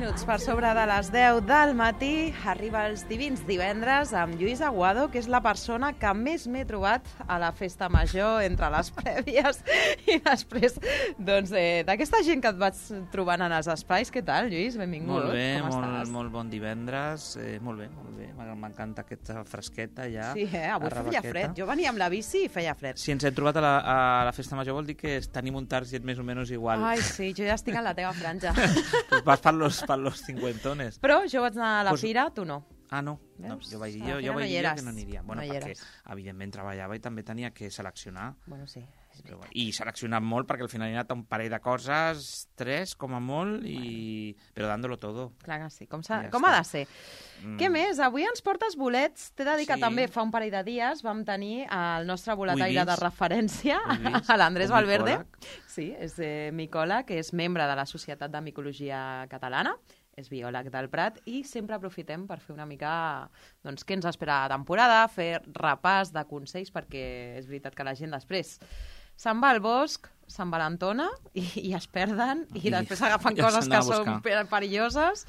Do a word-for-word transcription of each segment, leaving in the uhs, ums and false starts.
minuts per sobre de les deu del matí arriba els divins divendres amb Lluís Aguado, que és la persona que més m'he trobat a la festa major entre les prèvies i després doncs, eh, d'aquesta gent que et vaig trobant en els espais. Què tal, Lluís? Benvingut. Molt bé, Com molt, estàs? molt bon divendres. Eh, molt bé, molt bé. M'encanta aquesta fresqueta ja. Sí, eh? Avui feia fred. Jo venia amb la bici i feia fred. Si ens hem trobat a la, a la festa major vol dir que tenim un target més o menys igual. Ai, sí, jo ja estic en la teva franja. Pues vas per los, per los cincuentones. Però jo vaig anar a la Pues- fira, tu no. Ah, no. no Veus? jo vaig dir, A la jo, fira jo vaig no hi dir jo eres. que no aniria. Bueno, No hi perquè, eres. evidentment, treballava i també tenia que seleccionar. Bueno, sí. És Però, veritat. bueno, I seleccionat molt, perquè al final he anat a un parell de coses, tres com a molt, i... però dándolo todo. Clar que sí. Com, s'ha- Ja com està. ha de ser? Mm. Què més? Avui ens portes bolets. T'he de dir que Sí. també fa un parell de dies vam tenir el nostre boletaire vist. de referència, Ho he vist. a l'Andrés Un Valverde. micòleg. Sí, és eh, micòleg, que és membre de la Societat de Micologia Catalana, és biòleg del Prat, i sempre aprofitem per fer una mica doncs, què ens espera la temporada, fer repàs de consells, perquè és veritat que la gent després se'n va al bosc, se'n va a l'Antona i, i es perden, i, I agafen agafen ja coses se'n que va a són buscar. per- perilloses.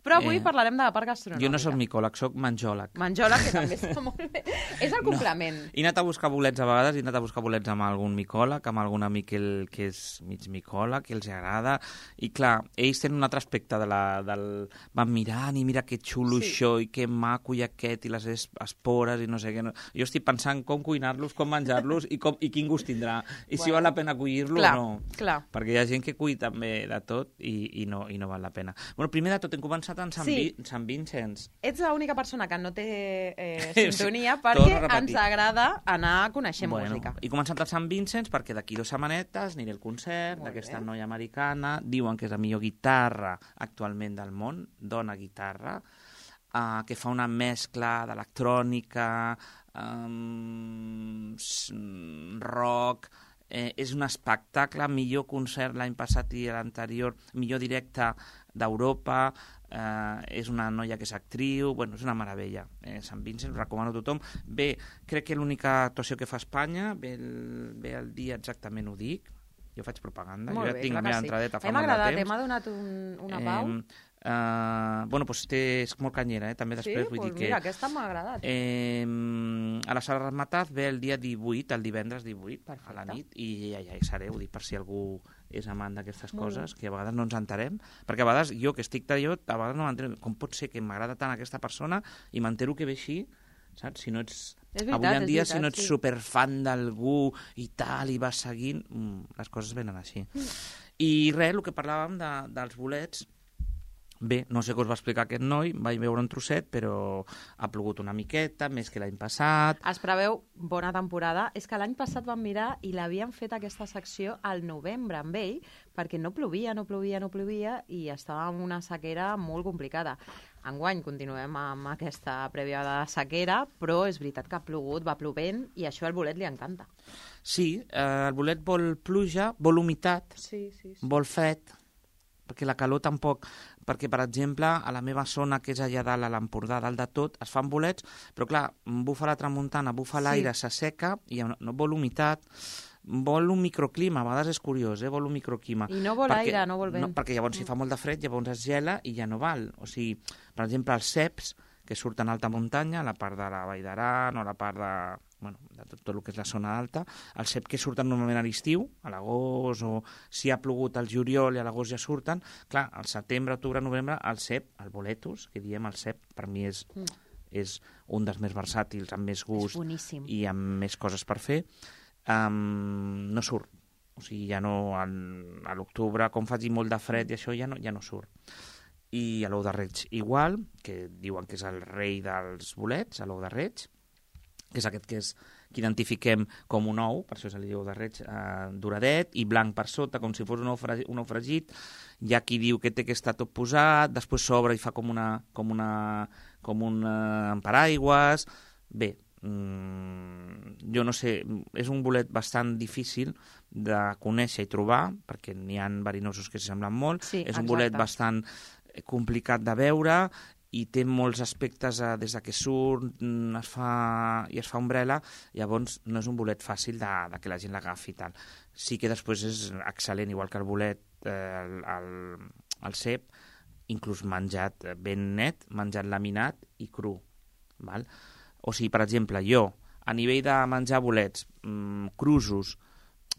Però avui Eh, parlarem de la part gastronòmica. Jo no sóc micòleg, sóc menjòleg. Menjola, que també està molt bé. És el complement. He anat a buscar bolets a vegades, he anat a buscar bolets amb algun micòleg, amb algun amic que, el, que és mig micòleg, que els agrada, i clar, ells tenen un altre aspecte de la, del... van mirant i mira que xulo Sí. això, i que maco i aquest, i les es- espores, i no sé què. No. Jo estic pensant com cuinar-los, com menjar-los, i, com, i quin gust tindrà, i si Bueno. val la pena collir-lo Clar, o no. clar. Perquè hi ha gent que cull també de tot i, i, no, i no val la pena. Bueno, primer de tot, hem començat en Sant, Sí. Vi, Sant Vincents. Ets l'única persona que no té eh, Sí, sintonia torno perquè a repetir. ens agrada anar a conèixer Bueno, música. he començat al Sant Vincents perquè d'aquí dues setmanetes aniré al concert Molt d'aquesta bé. noia americana. Diuen que és la millor guitarra actualment del món, dona guitarra, uh, que fa una mescla d'electrònica, um, s- rock... Eh, és un espectacle, millor concert l'any passat i l'anterior, millor directe d'Europa, eh, és una noia que és actriu, bueno, és una meravella. Eh, Sant Vincent, ho recomano a tothom. Bé, crec que l'única actuació que fa a Espanya, ve el, ve el dia exactament, ho dic, jo faig propaganda, Molt jo ja bé, tinc clar la que meva sí. entradeta A fa mi m'ha molt de agradat, temps. m'ha donat un, una pau. Eh, uh, bueno, doncs té, és molt canyera, eh? també Sí, després, vull doncs dir que... mira, aquesta m'ha agradat. Eh, a la sala Ramataz ve el dia divuit, el divendres divuit, Perfecte. a la nit, i ja, ja hi seré, ho dic per si algú és amant d'aquestes Molt coses, que a vegades no ens enterem, perquè a vegades jo, que estic tallot, a vegades no m'entero, com pot ser que m'agrada tant aquesta persona i m'entero que ve així, saps? Si no ets... És veritat, Avui en és dia, veritat, si no ets sí. superfan d'algú i tal, i vas seguint, mm, les coses venen així. I res, el que parlàvem de, dels bolets, bé, no sé què us va explicar aquest noi, vaig veure un trosset, però ha plogut una miqueta, més que l'any passat. Es preveu bona temporada. És que l'any passat vam mirar i l'havien fet aquesta secció al novembre amb ell, perquè no plovia, no plovia, no plovia, i estava en una sequera molt complicada. Enguany continuem amb aquesta prèvia de sequera, però és veritat que ha plogut, va plovent, i això al bolet li encanta. Sí, eh, el bolet vol pluja, vol humitat, Sí, sí, sí. vol fred, perquè la calor tampoc... Perquè, per exemple, a la meva zona, que és allà dalt, a l'Empordà, dalt de tot, es fan bolets, però clar, bufa la tramuntana, bufa Sí. l'aire, s'asseca, i no, no vol humitat, vol un microclima, a vegades és curiós, eh? Vol un microclima. I no vol Perquè- aire, no vol vent. No, perquè llavors si fa molt de fred, llavors es gela i ja no val. O sigui, per exemple, els ceps, que surten a alta muntanya, a la part de la Vall d'Aran o a la part de, bueno, de tot, tot el que és la zona alta, els ceps que surten normalment a l'estiu, a l'agost, o si ha plogut al juliol i a l'agost ja surten, clar, al setembre, octubre, novembre, el cep, el boletus, que diem el cep, per mi és, Mm. és un dels més versàtils, amb més És gust boníssim. i amb més coses per fer, um, no surt. O sigui, ja no, en, a l'octubre, com faci molt de fred i això, ja no, ja no surt. I a l'ou de reig igual, que diuen que és el rei dels bolets, a l'ou de reig, que és aquest que, és, que identifiquem com un ou, per això se li diu ou de reig, eh, doradet, i blanc per sota, com si fos un ou, fregit, un ou fregit. Hi ha qui diu que té que estar tot posat, després s'obre i fa com una, com una, com un eh, paraigües. Bé, mmm, jo no sé, és un bolet bastant difícil de conèixer i trobar, perquè n'hi ha verinosos que s'hi semblen molt. Sí, és un exacte. bolet bastant complicat de veure i té molts aspectes eh, des de que surt mm, es fa, i es fa ombrela, llavors no és un bolet fàcil de, de que la gent l'agafi i tal. Sí que després és excel·lent, igual que el bolet, eh, el, el, el cep, inclús menjat ben net, menjat laminat i cru. Val? O sigui, per exemple, jo, a nivell de menjar bolets, mmm, crusos,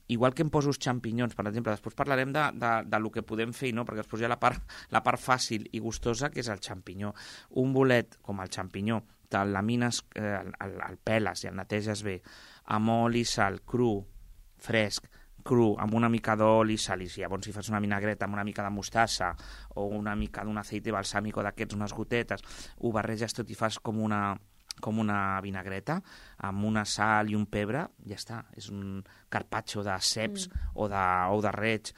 igual que em poso els xampinyons, per exemple, després parlarem de, de, de lo que podem fer, no? Perquè després hi ha la part, la part fàcil i gustosa, que és el xampinyó. Un bolet com el xampinyó, te'l lamines, eh, el, el, el peles i el neteges bé, amb oli, sal, cru, fresc, cru, amb una mica d'oli, sal, i si llavors si fas una vinagreta amb una mica de mostassa o una mica d'un aceite balsàmico d'aquests, unes gotetes, ho barreges tot i fas com una... com una vinagreta, amb una sal i un pebre, ja està. És un carpaccio de ceps mm. o, de, o de reig.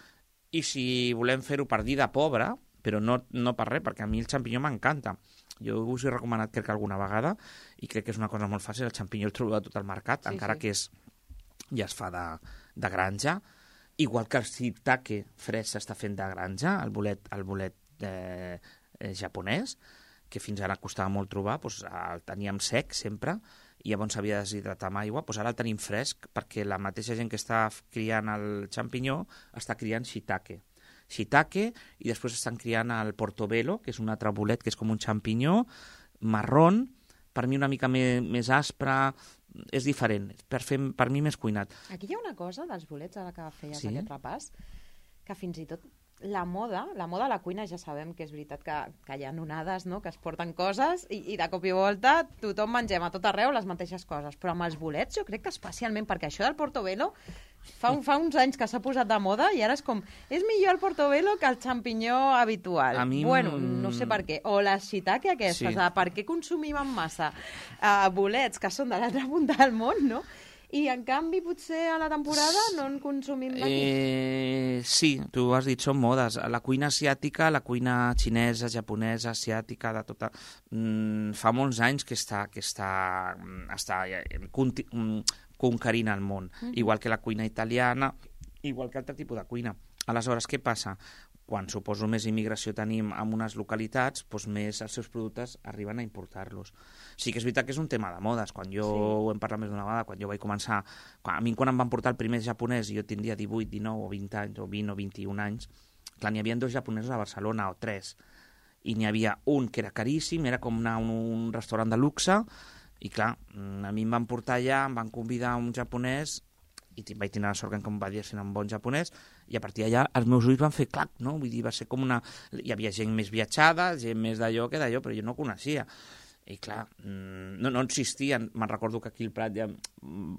I si volem fer-ho per dir de pobre, però no, no per res, perquè a mi el xampinyó m'encanta. Jo us he recomanat, crec que alguna vegada, i crec que és una cosa molt fàcil, el xampinyó el trobo a tot el mercat, sí, encara sí. que és, ja es fa de, de granja. Igual que el shiitake fresc s'està fent de granja, el bolet, el bolet eh, eh, japonès, que fins ara costava molt trobar, doncs el teníem sec sempre, i llavors s'havia de deshidratar amb aigua, doncs ara el tenim fresc, perquè la mateixa gent que està criant el xampinyó està criant shiitake. Shiitake, i després estan criant el portobello, que és un altre bolet, que és com un xampinyó, marrón, per mi una mica més, més aspre, és diferent, per, fer, per mi més cuinat. Aquí hi ha una cosa dels bolets, ara que feies sí? aquest repàs, que fins i tot la moda, la moda a la cuina ja sabem que és veritat que, que hi ha onades, no?, que es porten coses i, i de cop i volta tothom mengem a tot arreu les mateixes coses, però amb els bolets jo crec que especialment, perquè això del portobello fa, un, fa uns anys que s'ha posat de moda i ara és com, és millor el portobello que el xampinyó habitual. A mi... Bueno, no sé per què. O la shiitake aquestes, sí. Per què consumim en massa uh, bolets que són de l'altra punta del món, no?, i en canvi potser a la temporada no en consumim d'aquí. Eh, sí, tu has dit, són modes. La cuina asiàtica, la cuina xinesa, japonesa, asiàtica, de tota... Mm, fa molts anys que està, que està, està conti, conquerint el món, mm-hmm. igual que la cuina italiana, igual que altre tipus de cuina. Aleshores, què passa? Quan suposo més immigració tenim en unes localitats, doncs més els seus productes arriben a importar-los. Sí que és veritat que és un tema de modes. Quan jo, sí. ho hem parlat més d'una vegada, quan jo vaig començar... Quan, a mi quan em van portar el primer japonès, jo tindria divuit, dinou o vint anys, o vint o vint-i-un anys, clar, n'hi havia dos japonesos a Barcelona, o tres, i n'hi havia un que era caríssim, era com anar a un, un restaurant de luxe, i clar, a mi em van portar allà, em van convidar un japonès, i vaig tenir la sort que em va dir ser un bon japonès, i a partir d'allà els meus ulls van fer clac, no? Vull dir, va ser com una... Hi havia gent més viatjada, gent més d'allò que d'allò, però jo no coneixia. I clar, no, no existien. Me'n recordo que aquí al Prat, ja,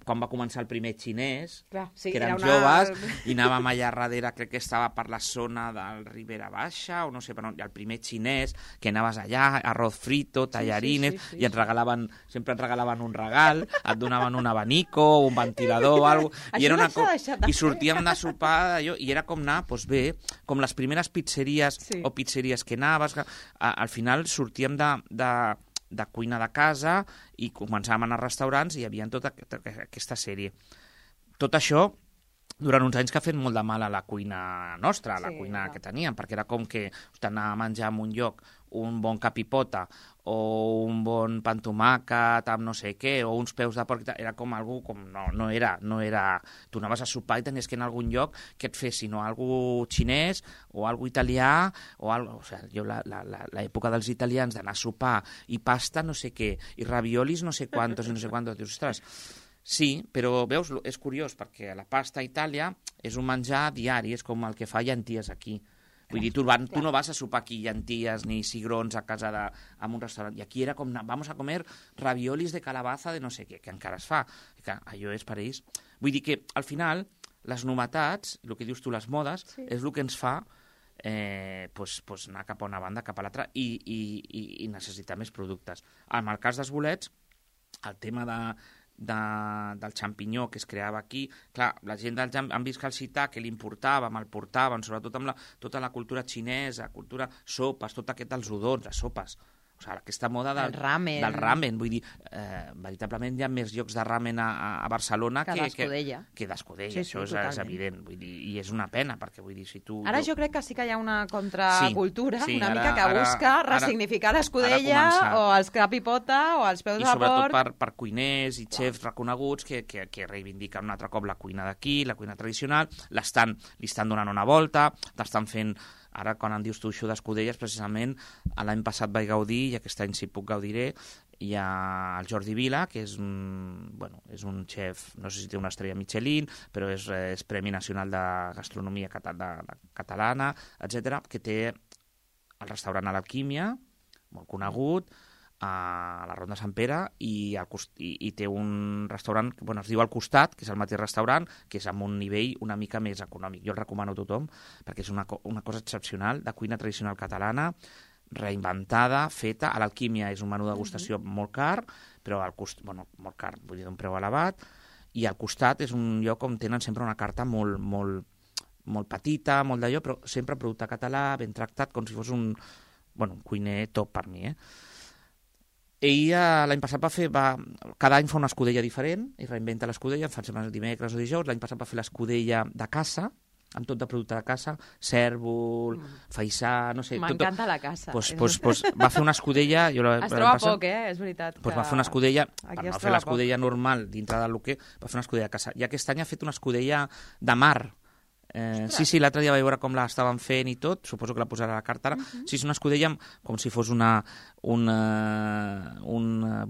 quan va començar el primer xinès, clar, sí, que érem era una... joves, i anàvem allà darrere, crec que estava per la zona del Ribera Baixa, o no sé, però el primer xinès, que anaves allà, arroz frito, tallarines, sí, sí, sí, sí, i et regalaven, sempre et regalaven un regal, et donaven un abanico, un ventilador o alguna cosa, i, era una co... i sortíem de sopar d'allò, i era com anar, doncs bé, com les primeres pizzeries sí. o pizzeries que anaves, que, a, al final sortíem de... de de cuina de casa i començàvem a anar a restaurants i hi havia tota aquesta sèrie. Tot això durant uns anys que ha fet molt de mal a la cuina nostra, a la sí, cuina clar. que teníem, perquè era com que anar a menjar en un lloc un bon capipota o un bon pan tomàquet amb no sé què, o uns peus de porc, era com algú, com no, no era, no era... Tu anaves a sopar i tenies que anar a algun lloc que et fessin o algú xinès o algú italià, o algo, o sigui, jo l'època dels italians d'anar a sopar i pasta no sé què, i raviolis no sé quantos i no sé quantos, dius, ostres, sí, però veus, és curiós, perquè la pasta a Itàlia és un menjar diari, és com el que fa llenties aquí. Vull dir, tu, van, tu no vas a sopar aquí llenties ni cigrons a casa de, en un restaurant. I aquí era com, vamos a comer raviolis de calabaza de no sé què, que encara es fa. Que allò és per ells. Vull dir que, al final, les novetats, el que dius tu, les modes, sí. és el que ens fa eh, pues, pues anar cap a una banda, cap a l'altra, i, i, i, i necessitar més productes. En el cas dels bolets, el tema de... De, del xampinyó que es creava aquí, clar, la gent del, han vist que el shiitake l'importàvem, el portaven, sobretot amb la, tota la cultura xinesa, cultura sopes, tot aquest dels udons, les sopes, o sigui, aquesta moda del ramen, del ramen. Vull dir, eh, veritablement hi ha més llocs de ramen a, a Barcelona que, que d'Escudella. Que, que d'Escudella, sí, això sí, és, és evident. Vull dir, i és una pena, perquè vull dir, si tu... Ara jo, jo crec que sí que hi ha una contracultura, sí, sí, una ara, mica que ara, busca ressignificar l'Escudella o els capipota o els peus de porc. I sobretot per, per cuiners i xefs reconeguts que, que, que reivindiquen un altre cop la cuina d'aquí, la cuina tradicional, l'estan, li estan donant una volta, l'estan fent Ara, quan em dius tu això d'escudelles, precisament l'any passat vaig gaudir, i aquest any si puc gaudiré, hi ha el Jordi Vila, que és un, bueno, és un xef, no sé si té una estrella Michelin, però és, és Premi Nacional de Gastronomia Catalana, etcètera, que té el restaurant a l'Alquímia, molt conegut, a la Ronda Sant Pere, i, al, i, i té un restaurant que bueno, es diu Al Costat, que és el mateix restaurant, que és amb un nivell una mica més econòmic. Jo el recomano a tothom, perquè és una, una cosa excepcional, de cuina tradicional catalana, reinventada, feta. A l'Alquímia és un menú de degustació uh-huh. molt car, però al cost, bueno, molt car, vull dir, d'un preu elevat, i al costat és un lloc on tenen sempre una carta molt, molt, molt petita, molt d'allò, però sempre producte català, ben tractat, com si fos un, bueno, un cuiner top per mi, eh? Ell l'any passat va fer, va, cada any fa una escudella diferent, i reinventa l'escudella, fa setmanes dimecres o dijous, l'any passat va fer l'escudella de caça, amb tot de producte de caça, cèrvol, mm. faisà, no sé... M'encanta la caça. Pues, pues, pues, va fer una escudella... Jo la, es troba passat, poc, eh? És veritat. Pues que... va fer una escudella, per no fer l'escudella normal dintre del que, va fer una escudella de caça. I aquest any ha fet una escudella de mar. Eh, sí, sí, l'altre dia vaig veure com l'estaven fent i tot, suposo que la posarà a la carta ara. Uh-huh. Sí, és una escudella com si fos una una, una,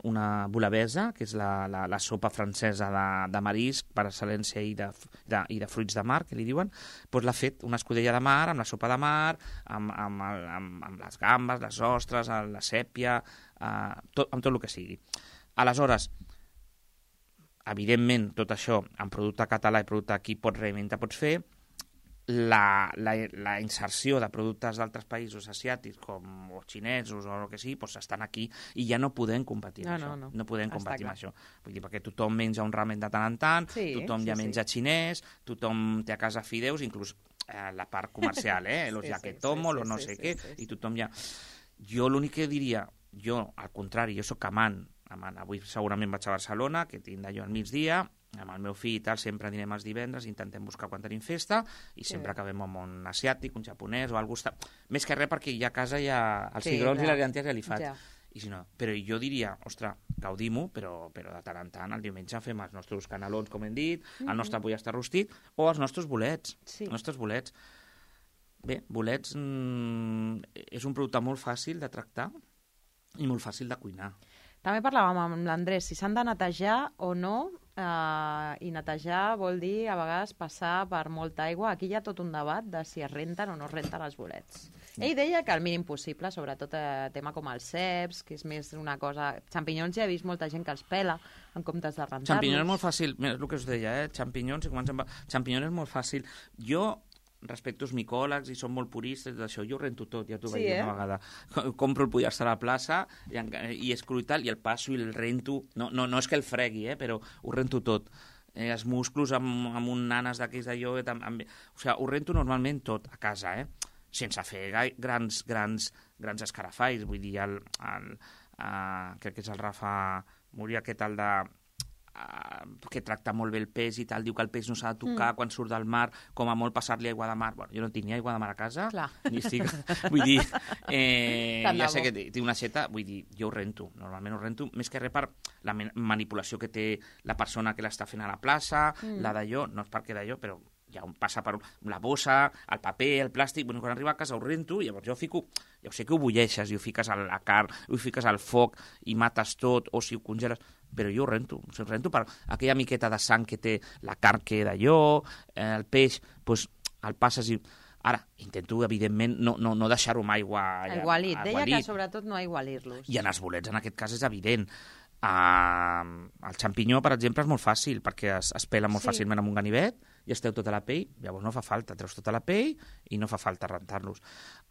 una bolabesa, que és la, la, la sopa francesa de, de marisc per excel·lència i de, de, i de fruits de mar, que li diuen. Doncs l'ha fet una escudella de mar, amb la sopa de mar, amb, amb, amb, amb les gambes, les ostres, la sèpia, eh, tot, amb tot el que sigui. Aleshores, evidentment, tot això, en producte català i producte aquí pots reinventar, pots fer, la, la, la inserció de productes d'altres països asiàtics, com o xinesos o el que sigui, doncs estan aquí i ja no podem competir amb no, això. No, no. no podem competir amb això. Vull dir, perquè tothom menja un ramen de tant en tant, sí, tothom sí, ja menja sí. xinès, tothom té a casa fideus, inclús eh, la part comercial, eh? Los sí, yaquetomo, sí, sí, los no sí, sé sí, què, sí, sí. I tothom ja... Jo l'únic que diria, jo, al contrari, jo sóc amant, amant. Avui segurament vaig a Barcelona, que tinc d'allò al migdia, amb el meu fill i tal, sempre anirem els divendres, intentem buscar quan tenim festa, i sí. sempre acabem amb un asiàtic, un japonès o algú... Més que res perquè ja a casa ja els sí, cigrons ja. I les llenties ja li faig. Ja. I si no, però jo diria, ostres, gaudim-ho, però, però de tant en tant, el diumenge fem els nostres canelons, com hem dit, mm-hmm. el nostre pollastre rostit, o els nostres bolets. Sí. Els nostres bolets. Bé, bolets mmm, és un producte molt fàcil de tractar i molt fàcil de cuinar. També parlàvem amb l'Andrés si s'han de netejar o no, eh, i netejar vol dir a vegades passar per molta aigua. Aquí hi ha tot un debat de si es renten o no es renten els bolets. Ell deia que el mínim possible, sobretot eh, tema com els ceps, que és més una cosa... Xampinyons ja he vist molta gent que els pela en comptes de rentar-los. Xampinyons és molt fàcil, és el que us deia, eh? Xampinyons, si comencem... Xampinyons és molt fàcil. Jo... respecto als micòlegs i són molt puristes d'això, jo ho rento tot, ja t'ho sí, vaig dir eh? una vegada. Compro el pollastre a la plaça i, i escruto i tal, i el passo i el rento. No, no, no és que el fregui, eh? Però ho rento tot. Eh, els musclos amb, amb un nanes d'aquells d'allò... Amb, amb... O sigui, ho rento normalment tot a casa, eh? Sense fer gai, grans, grans, grans escarafalls. Vull dir, el, el, uh, crec que és el Rafa Múria, aquest el de... Uh, que tracta molt bé el peix i tal, diu que el peix no s'ha de tocar mm. quan surt del mar, com a molt passar-li aigua de mar. Bueno, jo no tinc ni aigua de mar a casa, Clar. ni estic... vull dir, eh, ja sé que té una xeta, vull dir, jo ho rento, normalment ho rento, més que res per la manipulació que té la persona que l'està fent a la plaça, mm. la d'allò, no és perquè d'allò, però ja on passa per la bossa, el paper, el plàstic, bueno, quan arriba a casa ho rento, llavors jo fico, ja ho sé que ho bulleixes i ho fiques a la carn, ho fiques al foc i mates tot, o si ho congeles, però jo ho rento, ho rento per aquella miqueta de sang que té la carn que d'allò, eh, el peix, doncs el passes i... Ara, intento, evidentment, no, no, no deixar-ho amb aigua... Aigualit, deia que sobretot no aigualir-los. I en els bolets, en aquest cas, és evident. Uh, el xampinyó, per exemple, és molt fàcil, perquè es, es pela molt sí. fàcilment amb un ganivet, i es treu tota la pell, llavors no fa falta, treus tota la pell i no fa falta rentar-los.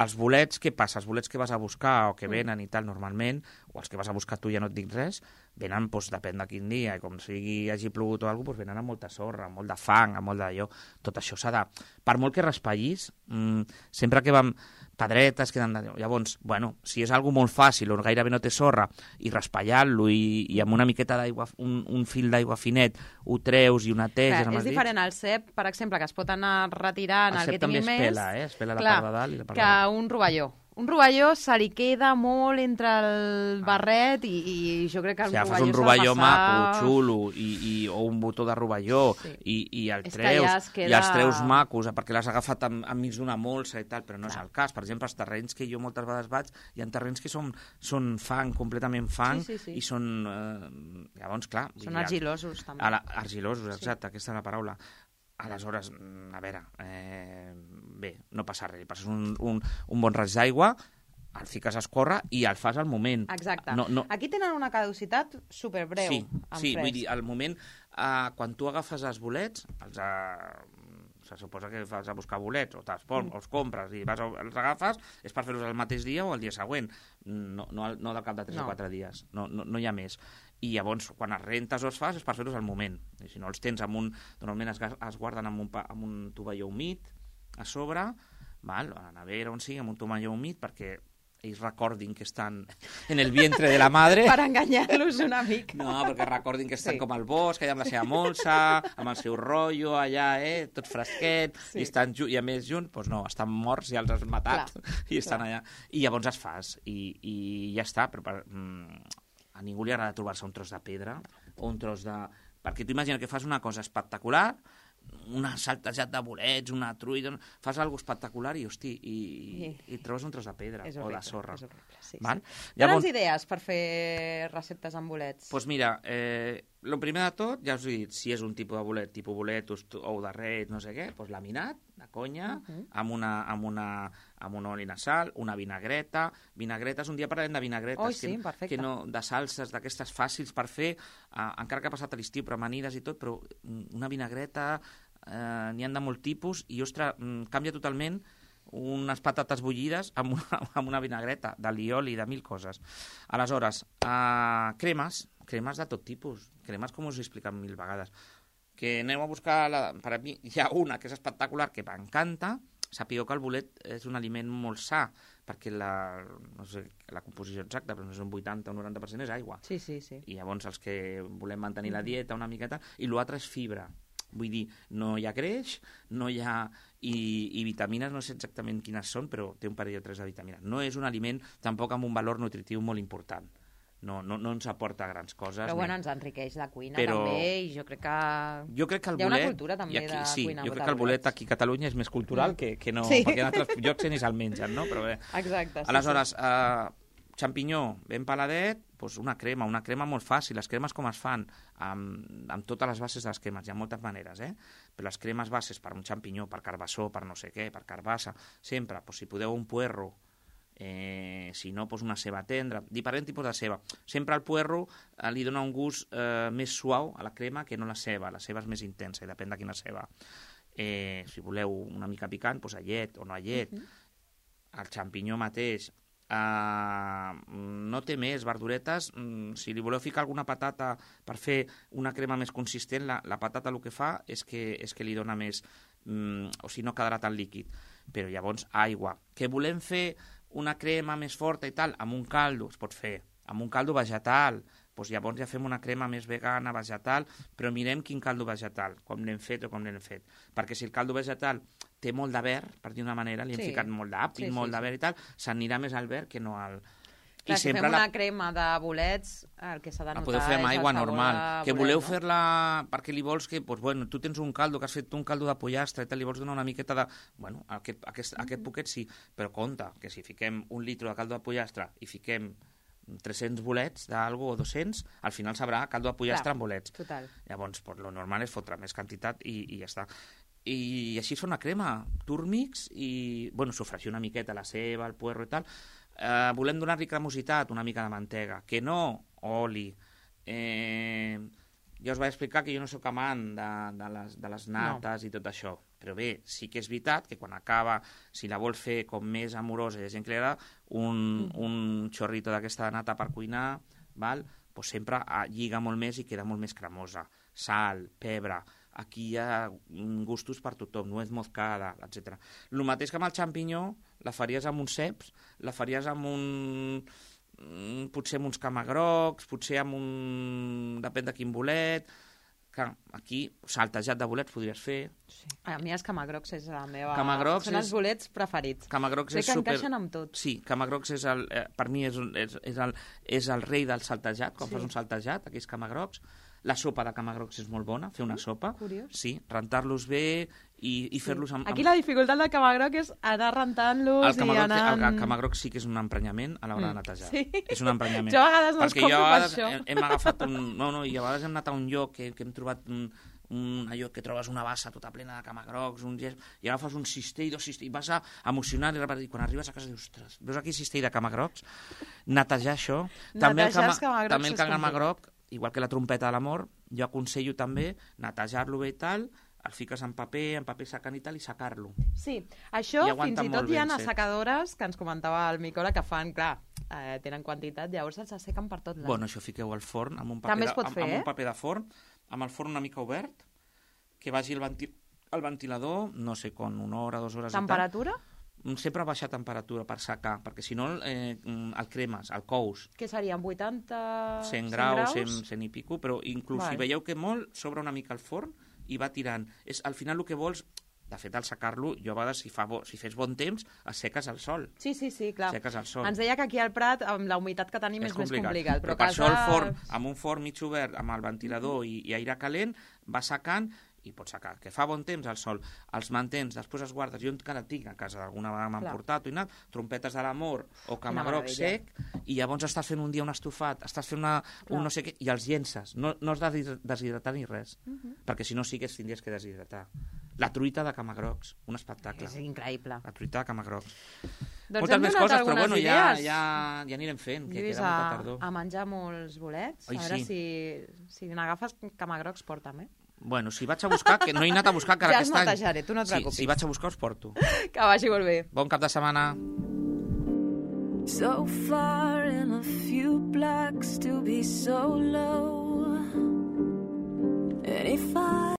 Els bolets, què passa? Els bolets que vas a buscar o que venen i tal, normalment, o els que vas a buscar tu ja no et dic res, venen, doncs, depèn de quin dia, i com sigui hagi plogut o alguna cosa, doncs venen amb molta sorra, amb molt de fang, amb molt d'allò. Tot això s'ha de... Per molt que raspallis, mmm, sempre que vam... pedretes queden d'allò. Llavors, bueno, si és algo molt fàcil o gairebé no té sorra, i raspallant-lo i, i amb una miqueta d'aigua, un, un fil d'aigua finet, ho treus i ho neteges amb els dits... És diferent al cep, per exemple, que es pot anar retirant el el, el cep que tingui més... El cep també es pela, eh? Es pela la part de dalt i la part que de dalt. Un rovelló un rovelló se li queda molt entre el barret i, i jo crec que el si rovelló fas un rovelló passar... maco, xulo, i, i, o un botó de rovelló, sí. i, i el és treus, ja queda... i els treus macos, perquè l'has agafat enmig d'una molsa i tal, però no Clar. És el cas. Per exemple, els terrenys que jo moltes vegades vaig, hi ha terrenys que són, són fang, completament fang, sí, sí, sí. i són... Eh, llavors, clar... Són argilosos, també. La, argilosos, exacte, sí. Aquesta és la paraula. Aleshores, a veure, eh, bé, no passa res, passes un, un, un bon raig d'aigua, el fiques a escórrer i el fas al moment. Exacte. No, no... Aquí tenen una caducitat superbreu. Sí, en sí, fresc. vull dir, al moment, eh, quan tu agafes els bolets, els, eh, se suposa que vas a buscar bolets, o, mm. o els compres i vas a, els agafes, és per fer-los el mateix dia o el dia següent, no, no, no del cap de tres no. o quatre dies, no, no, no hi ha més. I llavors, quan els rentes o els fas, és per fer-los al moment. I si no els tens amb un... Normalment es, es guarden amb un, amb un tovalló humit a sobre, val? A la nevera on sigui, amb un tovalló humit, perquè ells recordin que estan en el vientre de la madre. Per enganyar-los una mica. No, perquè recordin que estan sí. com al bosc, allà amb la seva molsa, amb el seu rotllo, allà, eh, tot fresquet, sí. i, estan i a més junts, doncs no, estan morts, ja els has matat, clar, i estan clar. Allà. I llavors es fas, i, i ja està, però per, mm, a ningú li agrada trobar-se un tros de pedra, o un tros de... Perquè tu imagina que fas una cosa espectacular, una saltejat de bolets, una truita, fas alguna espectacular i, hosti, i, i, i trobes un tros de pedra horrible, o de sorra. És horrible, sí, Val? sí. Llavors... Tens idees per fer receptes amb bolets? Doncs pues mira, eh, el primer de tot, ja us he dit, si és un tipus de bolet, tipus bolet, ou de ret, no sé què, doncs laminat, de conya, uh -huh. amb, una, amb, una, amb un oli nasal, una vinagreta. Vinagretes, un dia parlarem de vinagretes, oh, sí, que, que no, de salses, d'aquestes fàcils per fer, eh, encara que ha passat a l'estiu, però amanides i tot, però una vinagreta, eh, n'hi han de molt tipus, i, ostres, canvia totalment unes patates bullides amb una, amb una vinagreta, d'alioli, de mil coses. Aleshores, eh, cremes, cremes de tot tipus, cremes com us he explicat mil vegades, que aneu a buscar, la, per a mi hi ha una que és espectacular, que m'encanta. Sapigueu que el bolet és un aliment molt sa, perquè la, no sé la composició exacta, però no és un vuitanta o noranta per cent és aigua. Sí, sí, sí. I llavors els que volem mantenir la dieta una miqueta, i l'altre és fibra. Vull dir, no hi ha greix, no hi ha... I, i vitamines, no sé exactament quines són, però té un parell o tres de vitamines. No és un aliment tampoc amb un valor nutritiu molt important. No, no, no ens aporta grans coses. Però bueno, ens enriqueix la cuina però... també, i jo crec que, jo crec que el hi ha bolet... una cultura també aquí, de sí, cuina. Jo crec que el bolet aquí a Catalunya és més cultural mm. que, que no... Sí. Perquè en altres llocs ni se'l mengen, no? Però bé. Exacte. Sí, aleshores, sí. Eh, xampinyó ben peladet, doncs una crema, una crema molt fàcil. Les cremes com es fan? Amb, amb totes les bases de les cremes, hi ha moltes maneres, eh? Però les cremes bases per un xampinyó, per carbassó, per no sé què, per carbassa, sempre, doncs, si podeu un puerro, eh, si no, doncs una ceba tendra, diferent tipus de ceba. Sempre el puerro eh, li dona un gust eh, més suau a la crema que no la ceba. La ceba és més intensa i depèn de quina ceba. Eh, si voleu una mica picant, doncs allet o no allet. Uh -huh. El xampinyó mateix, Uh, no té més verduretes. Mm, si li voleu ficar alguna patata per fer una crema més consistent, la, la patata el que fa és que, és que li dona més, mm, o si no quedarà tan líquid. Però llavors aigua. Que volem fer una crema més forta i tal, amb un caldo es pot fer, amb un caldo vegetal, doncs llavors ja fem una crema més vegana, vegetal, però mirem quin caldo vegetal, com l'hem fet o com l'hem fet. Perquè si el caldo vegetal té molt de verd, per dir una manera, li hem sí. ficat molt d'àpid, sí, molt sí, de verd i tal, s'anirà més al verd que no al... Clar, I si fem la... una crema de bolets, el que s'ha de notar la podeu fer amb aigua normal. Que bolet, voleu no? fer-la perquè li vols que... Doncs, bueno, tu tens un caldo, que has fet un caldo de pollastre i tal, li vols donar una miqueta de... Bueno, aquest, aquest, aquest poquet sí, però compte, que si fiquem un litre de caldo de pollastre i fiquem tres-cents bolets d'algo o dos-cents, al final sabrà caldo de pollastre amb bolets. Total. Llavors, pues, lo normal és fotre més quantitat i, i ja està. I així es fa una crema, turmix, i, bueno, sofregir una miqueta la ceba, el puerro i tal. Eh, volem donar-li cremositat, una mica de mantega. Que no, oli. Eh, ja us vaig explicar que jo no sóc amant de, de, les, de les nates no. i tot això. Però bé, sí que és veritat que quan acaba, si la vol fer com més amorosa i hi ha gent que li agrada, un, mm. un xorrito d'aquesta nata per cuinar, val? Pues sempre lliga molt més i queda molt més cremosa. Sal, pebre, aquí hi ha gustos per tothom, nuez moscada, etcètera. El mateix que amb el xampinyó, la faries amb uns ceps, la faries amb un... potser amb uns camagrocs, potser amb un... depèn de quin bolet... que aquí saltejat de bolets podries fer. Sí. A mi els camagrocs és la meva... Camagrocs Són és... els bolets preferits. Camagrocs Crec és que super... encaixen amb tot. Sí, camagrocs és el, eh, per mi és, és, és, el, és el rei del saltejat, quan Sí. fas un saltejat, aquells camagrocs. La sopa de camagrocs és molt bona, fer una sopa. Curiós. Sí, rentar-los bé i, i fer-los amb, amb... Aquí la dificultat del camagroc és anar rentant-los El camagroc, i anar... el, el camagroc sí que és un emprenyament a l'hora de netejar. Sí. És un emprenyament. Jo a vegades no els Perquè jo compro a per vegades això. hem, hem agafat un... No, no, i a vegades hem anat a un lloc que, que hem trobat un, un allò que trobes una bassa tota plena de camagrocs, un gest, i agafes un cistell, dos cistells, i vas a emocionar, i quan arribes a casa dius, ostres, veus aquí cistell de camagrocs? Netejar això. També el, Netejar cama, els camagrocs també el és camagroc, igual que la trompeta de l'amor, jo aconsello també netejar-lo bé i tal, el fiques en paper, en paper secant i tal, i secar-lo. Sí, això I fins aguanta i molt tot hi ha ben sec. assecadores que ens comentava el Micola que fan, clar, eh, tenen quantitat, llavors els assequen per tot l'any. Bueno, això fiqueu al forn, amb un paper, També es de, pot amb, fer, amb eh? un paper de forn, amb el forn una mica obert, que vagi el, venti el ventilador, no sé, con una hora, dues hores Temperatura? i tal. Sempre baixar temperatura per secar, perquè si no eh, el cremes, el cous. Què serien, vuitanta... cent graus, cent, cent i pico, però inclús Val. si veieu que molt, s'obre una mica el forn i va tirant. És, al final el que vols, de fet, al secar-lo, jo a vegades, si, fa bo, si fes bon temps, es seques al sol. Sí, sí, sí, clar. Seques al sol. Ens deia que aquí al Prat, amb la humitat que tenim, és, és complicat. més complicat. Però, Però, per això el casa... forn, amb un forn mig obert, amb el ventilador mm -hmm. i, i aire calent, va secant i pots secar. Que fa bon temps al sol, els mantens, després els guardes. Jo encara tinc a casa, alguna vegada m'han portat o anat, trompetes de l'amor o camagroc sec, i llavors estàs fent un dia un estofat, estàs fent una, un no sé què, i els llences. No, no has de deshidratar ni res, uh -huh. perquè si no sí que es tindries que deshidratar. La truita de camagrocs, un espectacle. És increïble. La truita de camagrocs. Doncs Moltes hem més donat coses, però algunes bueno, ja, idees. ja, ja anirem fent, que Lluís, queda molta a, tardor. a menjar molts bolets. Ai, a veure sí. si, si n'agafes camagrocs, porta'm, eh? Bueno, si vaig a buscar, que no he anat a buscar encara Ja aquest els any. netejaré, tu no et Sí, preocupis. si vaig a buscar, els porto. Que vagi molt bé. Bon cap de setmana. So far in a few blocks to be so low. And if I